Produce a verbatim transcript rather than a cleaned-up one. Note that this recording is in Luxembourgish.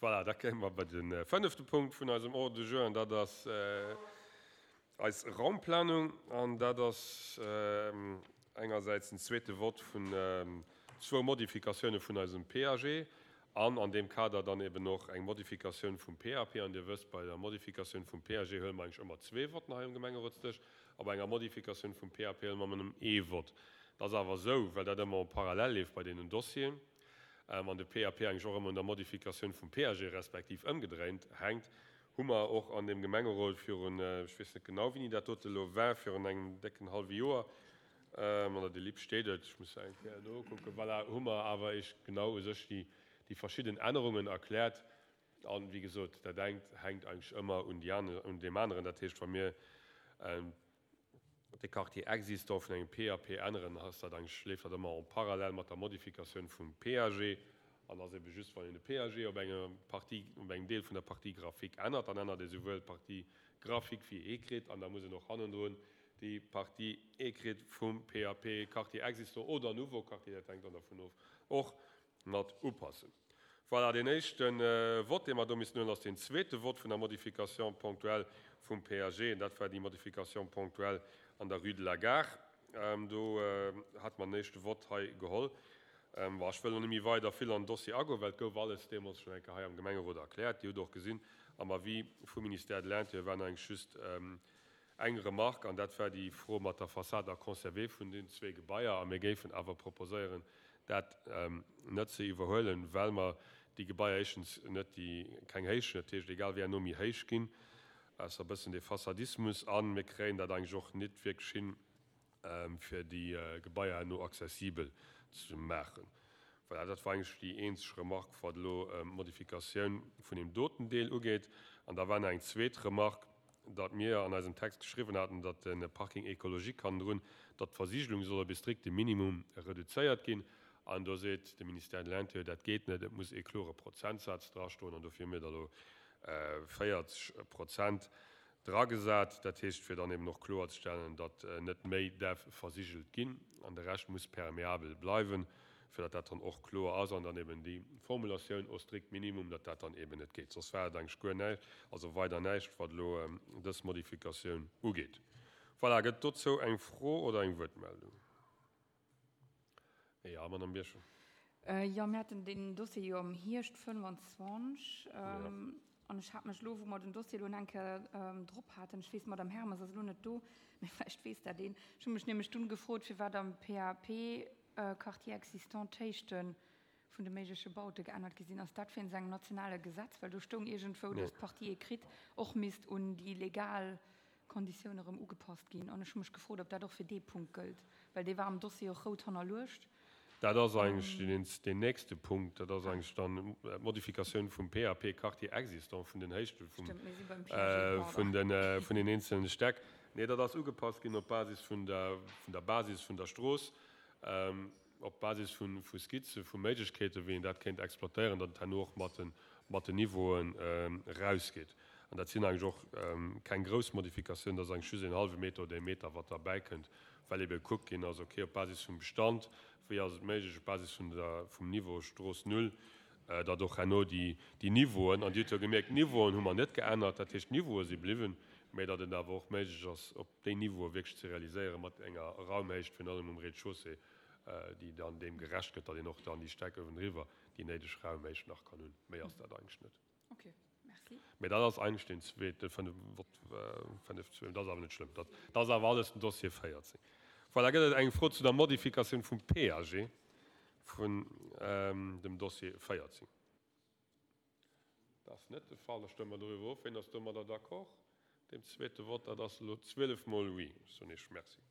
Voilà, da kéime mer bei de fënnefte Punkt vun eisem Ordre du jour, an dat ass eis Raumplanung. An dat ass engersäits den zweete Vott vun zwou Modifikatioune vun eisem P A G an an deem Kader dann eben och eng Modifikatioun vum P A P. An Dir wësst, bei der Modifikatioun vum P A G huele mer eigentlech ëmmer zwee Votten hei um Gemengerotsdësch, a bei enger Modifikatioun vum P A P huele mer nëmmen ee Vott. Dat ass awer esou, well dat ëmmer en parallèle leeft bei deenen Dossieren an de P A P eigentlech och ëmmer un der Modifikatioun vum P A G respektiv ëmgedréint hänkt, hu mer och an deem Gemengerot virun, ech weess net genau, wéini dat dote elo war, virun engem décken hallwe Joer, an der Delib steet et, ech muss eng Kéier nokucken, voilà, hu mer awer eech genau u sech déi déi verschidden Ännerungen erkläert. An, wéi gesot, dat engt hänkt eigentlech ëmmer un déi aner, un deem aneren. Dat heescht, wa mir de Quartier existant vun engem P A P änneren, ass dat eigentlech, leeft dat ëmmer en parallèle mat der Modifikatioun vum P A G. An ass ebe just, wann een de P A G op enger Partie, op engem Deel vun der Partie graphique ännert, dann ännert ee souwuel d'Partie graphique wéi écrite an da muss een och hannendrun déi Partie écrite vum P A P, Quartier existant oder nouveau Quartier, dat hänkt dann dervun of, och mat upassen. Voilà, deen éischte Vott, dee mer do missten huelen, ass deen zweete Vott vun der Modification ponctuelle vum P A G. An dat war déi Modification ponctuelle an der Rue de la Gare. Do hate mer den éischte Vott hei geholl. Bon, ech wëll elo net méi weider vill an den Dossier agoen, well et gouf alles deemools schonn eng Kéier hei am Gemengerot erkläert. Dir hutt och gesinn, am Avis vum Ministère de l'Intérieur war eigentlech just eng Remarque, an dat war déi Fro mat der Façade à conserver vun den zwee Gebaier. A mir géifen awer proposéieren, dat net ze iwwerhuelen, well mer déi Gebaier éischtens net déi keng Héicht hunn, dat heescht, egal wéi herno méi héich ginn, ausser e bëssen dee Fassadismus, a mir kréien dat eigentlech och net wierklech hin, fir déi Gebaier herno accessibel ze maachen. Voilà, dat war eigentlech déi eenzeg Remarque, wat elo d'Modifikatioun vun deem doten Deel ugeet. An da war nach eng zweet Remarque, datt mir an eisem Text geschriwwen haten, datt de Parking écologique hannendrun, datt d'Versigelung soll op e strikte Minimum reduzéiert ginn. An do seet de Ministère de l'Intérieur, dat geet net, et muss ee klore Prozentsaz drastoen. An dofir hu mir da elo véierzeg Prozent dragesat. Dat heescht, fir dann eben och kloerzestellen, datt net méi däerf versigelt ginn an de Rescht muss perméabel bleiwen, fir datt dat dann och kloer ass an dann eben déi Formulatioun au strict minimum, datt dat dann eben net geet. Soss war et eigentlech guer näischt, also weider näischt, wat elo dës Modifikatioun ugeet. Voilà, gëtt dozou eng Fro oder eng Wuertmeldung? Ja, Madame Birchen. Jo, mir haten deen Dossier jo am Hierscht fënnefanzwanzeg an ech hat mech elo, wou mer den Dossier elo eng Kéier drop haten, ech weess, d'Madame Hermes ass elo net do, mee vläicht weess dat een, ech hu mech nämlech dunn gefrot, firwat am P A P Quartier existant d'Héichte vun de méigleche Baute geännert gi sinn. Ass dat wéinst engem nationale Gesetz? Well do stoung iergendwou, dass d'Partie écrite och misst un déi legal Konditioun erëm ugepasst ginn. An ech hu mech gefrot, ob dat och fir dee Punkt gëllt, well dee war am Dossier och rout hannerluecht. Dat ass eigentlech deen nächste Punkt. Dat ass eigentlech dann d'Modifikatioun vum P A P Quartier existant, vun den Héichte vun den eenzelne Stäck. Nee, dat ass ugepasst ginn op Basis vun der Basis vun der Strooss, op Basis vu Skizze vu Méiglechkeeten, wéi een dat kéint exploitéieren, datt et herno och mat den Niveauen erausgeet. An dat sinn eigentlech och keng grouss Modifikatiounen, dat ass eigentlech just een hallwe Meter oder ee Meter, wat derbäikënnt, well ebe gekuckt ginn ass, okay, op Basis vum Bestand, wéi ass et méiglech, op Basis vun der, vum Niveau Strooss null, datt och herno déi, déi Niveauen, an Dir hutt jo gemierkt, d'Niveauen hu mer net geännert, dat heescht, d'Niveaue si bliwwen, mä datt et awer och méiglech ass, op déi Niveaue wierklech ze realiséieren, mat enger Raumhéicht, virun allem um Rez-de-chaussée, déi dann deem gerecht gëtt, datt een och dann déi Stäck uewendriwwer déi néideg Raumhéicht nach kann hunn. Méi ass dat eigentlech net. Okay, merci. Mä dat ass eigentlech deen zweete fënnef, Vott fënnef zwee, dat ass awer net schlëmm. Dat, dat ass awer alles den Dossier véierzéng. Voilà, gëtt et eng Fro zu der Modifikatioun vum P A G vun dem Dossier véierzéng? Dat ass net de Fall. Da stëmme mer doriwwer of. Wien ass domadder d'accord? Deem zweete Vott, dat ass elo zwielef mol oui. Ech soen Iech Merci.